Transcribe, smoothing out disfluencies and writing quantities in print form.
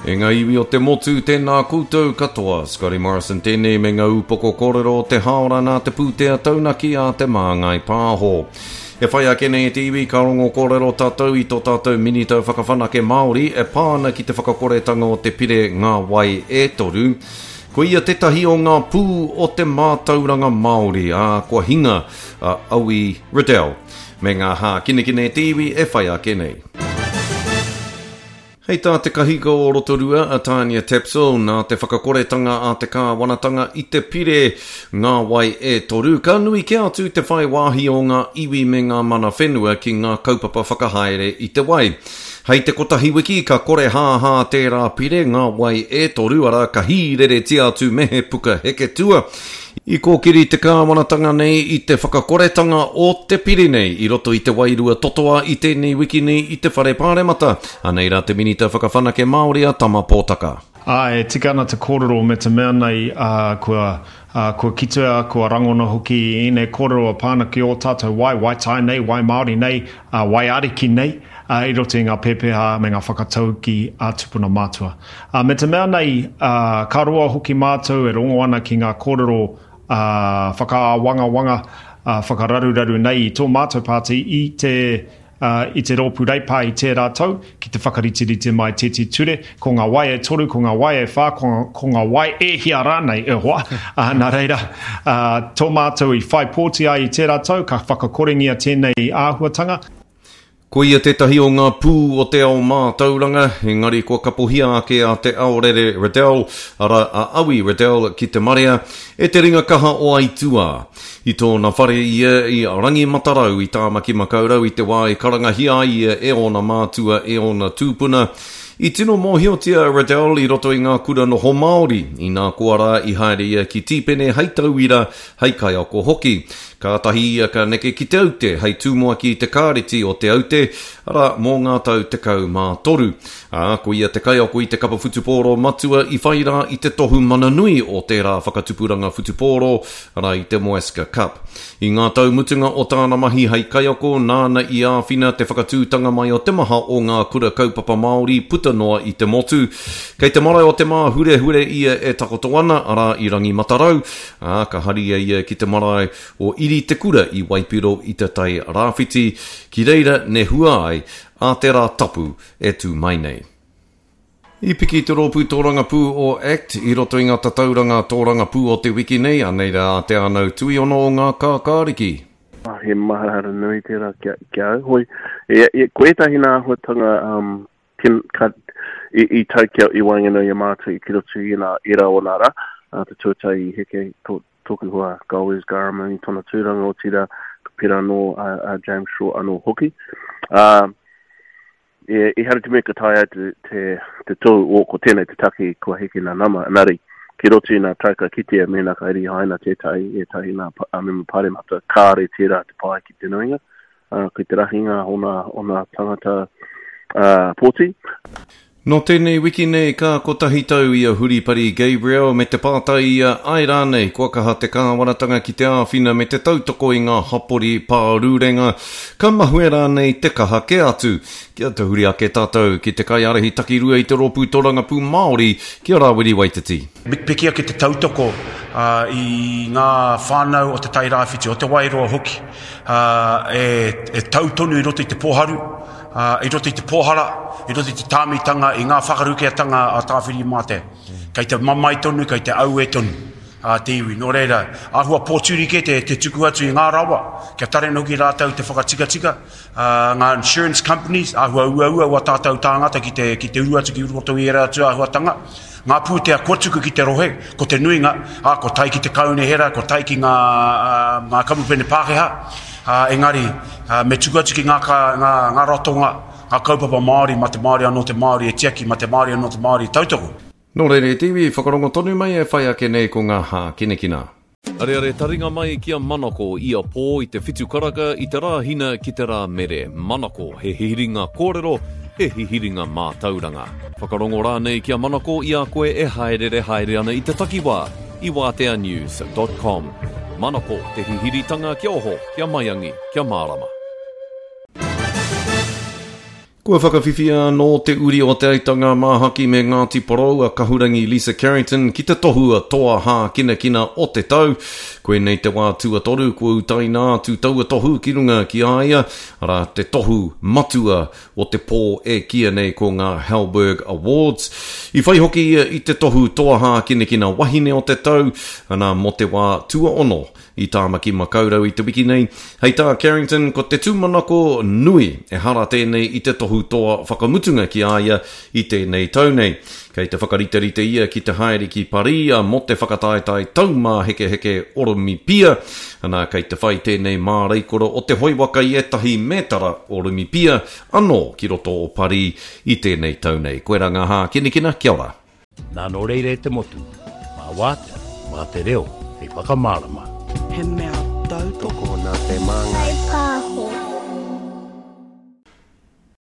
E ngā iwi o te motu, tēnā koutou katoa. Scotty Morrison tēnei me ngā upoko kōrero o te hāora nā te pūtea taunaki a Te Māngai Pāho. E whai ake nei e te iwi ka rongo kōrero tātou i tō tātou Minita Whakawhanake Māori e pā ana ki te whakakoretanga o te pire Ngā Wai e Toru. Ko ia tētahi o ngā pū o te mātauranga Māori, ā, kua hinga a Awi Riddell me ngā hākinakina e te iwi e whai ake nei. Hei tā te kahika o Rotorua, a Tania Tapsell, nā te whakakoretanga a te kāwanatanga i te pire Ngā Wai e Toru, ka nui kē atu te whai wāhi o ngā iwi me ngā mana whenua ki ngā kaupapa whakahaere i te wai. Hei te kotahi wiki ka korehāhā tērā pire Ngā Wai e Toru, arā, ka hīreretia atu me he puka heketua. I kōkiri te kāwanatanga nei i te whakakoretanga o te pire nei i roto i te wairua totoa i tēnei wiki nei i te Whare Pāremata. Anei rā te Minita Whakawhanake Māori a Tama Pōtaka. Ā, e tika ana te kōrero me te mea nei, ā, kua, ā, kua kitea, kua rangona hoki ēnei kōrero e pā ana ki ō tātou wai, wai tai nei, wai Māori nei, ā, wai ariki nei, ā, i roto i ngā pēpeha me ngā whakataukī a tupuna mātua. Ā, me te mea nei, ā, ka roa hoki mātou e rongo ana ki ngā kōrero, ā, whakaāwangawanga, ā, whakararuraru nei i tō mātou pāti i te, ā, i te Rōpū Reipa i tērā tau, ki te whakariterite mai tēti ture, ko ngā wai e toru, ko ngā wai e whā, ko, ko ngā wai e hia rānei, e hoa. Ā, nā reira, ā, tō mātou i whai pōti ai i tērā tau, ka whakakorengia tēnei āhuatanga. Ko ia tētahi o ngā pū o te ao mātauranga, engari kua kapohia ake a Te Aorere Riddell, arā, a Awi Riddell ki te marea, e te ringa kaha o aituā. I tōna whare ia i Rangimatarau i Tāmaki-makau-rau i te wā i karangahia ai ia e ōna mātua, e ōna tūpuna. I tino mōhiotia a Riddell i roto i ngā kura noho Māori, inā koa rā i haere ia ki Tīpene hei tauira, hei kaiako hoki. Kātahi ia ka neke ki Te Aute hei tumuaki i te Kāreti o Te Aute, arā, mō ngā tau 13. Ā, ko ia te kaiako i te kapa whutupōro matua i whai rā i te tohu mana nui o tērā whakatupuranga whutupōro, arā, i te Moascar Cup. I ngā tau mutunga o tāna mahi hei kaiako, nāna i āwhina te whakatūtanga mai o te maha o ngā kura kaupapa Māori puta noa i te motu. Kei te marae o Te Māhurehure ia e takoto ana, arā, i Rangimatarau, ā, ka haria ia ki te marae o Iri Te Kura i Waipiro i Te Tai Rāwhiti, ki reira nehua ai ā te rā tapu e tū mai nei. I piki te rōpū tōrangapū o act i roto i ngā tatauranga tōrangapū o te wiki nei, anei rā Te Ānau Tuiono o Ngā Kākāriki. He maharahara nui tērā ki a au. Hoi, e, e, ko ētahi nā āhuatanga um, Ken, ka, i, i tau kia i waenganui i a mātou ki roto i nā era o nā rā, uh, te tuatahi i heke tō, tōku hoa Golez Garama i tōna tūranga, otirā, ka pērā anō a, a James Shaw anō hoki. Uh, e, ehara te mea ka taea te, te, te tohu, o, ko tēnei te take kua heke nā nama, engari, ki roto i nā tau ka kitea mēnā ka rihaina tētahi, ētahi nā a mema paremata, kāre tērā te pai ki te nuinga, uh, ki te rahinga o nā, o nā tangata uh, pōti. Nō tēnei wiki nei ka kotahi tau i a Huripari Gabriel me te pātai ia āe rānei kua kaha te kāwanatanga ki te āwhina me te tautoko i ngā hapori pārurenga, ka mahue rānei te kaha kē atu. Kia tahuri ake tātou ki te kaiārahi takirua i te Rōpū Torangapū Māori, ki a Rāwiri Waititi. Me piki ake te tautoko i ngā whānau o Te Tai Rāwhiti, o Te Wairoa hoki, e tau tonu i roto i te pōharu, i roto i te pōhara, i roto i te tāmitanga, i ngā whakarukeatanga a Tāwhirimātea. Kei te mamae tonu, kei te auē tonu te iwi. Nō reira, āhua pōturi kē te, te tuku atu i ngā rawa, kia tarena hoki rātou te whakatikatika, ngā insurance companies, āhua uaua wā tātou tāngata ki te, ki te uru atu ki roto i ērā atu āhuatanga. Ngā pūtea kua tuku ki te rohe, ko te nuinga, ā, ko tae ki te kaunihera, ko tae ki ngā, ngā kamupene Pākehā, ā, engari, ā, me tuku atu ki ngā, ngā, ngā ratonga, ngā kaupapa Māori, mā te Māori anō te Māori e tiaki, mā te Māori anō te Māori e tautoko. Nō reira e te iwi, whakarongo tonu mai e whai ake nei ko ngā hākinakina. Areare taringa mai ki a Manako ia pō i te whitu karaka i te Rāhina ki te Rāmere. Manako, he hihiringa kōrero, he hihiringa mātauranga. Whakarongo rānei ki a Manako i a koe e hāereere haere ana i te takiwā i wāteanews dot com. Manako, te hihiritanga kia oho, kia maiangi, kia mārama. Kua whakawhiwhia anō te uri o Te Aitanga Māhaki me Ngāti Porou a Kahurangi Lisa Carrington ki te tohu a Toa Hākinakina o te Tau. Koinei te wā tuatoru kua utaina atu taua tohu ki runga ki a ia, arā, te tohu matua o te pō e kīia nei ko ngā Halberg Awards. I whai hoki ia i te tohu Toa Hākinakina Wahine o te Tau, ana, mō te wā tuaono I Tāmaki Makaurau i te wiki nei, hei tā Carrington ko te tūmanako nui ehara tēnei i te tohu toa whakamutunga ki a ia i tēnei tau nei. Kei te whakariterite ia ki te haere ki Parī mō te whakataetae taumāhekeheke Oromipia, ana kei te whai tēnei māreikura o te hoe waka i ētahi mētara Oromipia anō ki roto o Parī i tēnei tau nei. Koirā ngā hākinakina, kia ora. Nā nō reira e te motu, mā wātea, mā te reo hei whakamārama. He mea tautoko. Tokona te māngai.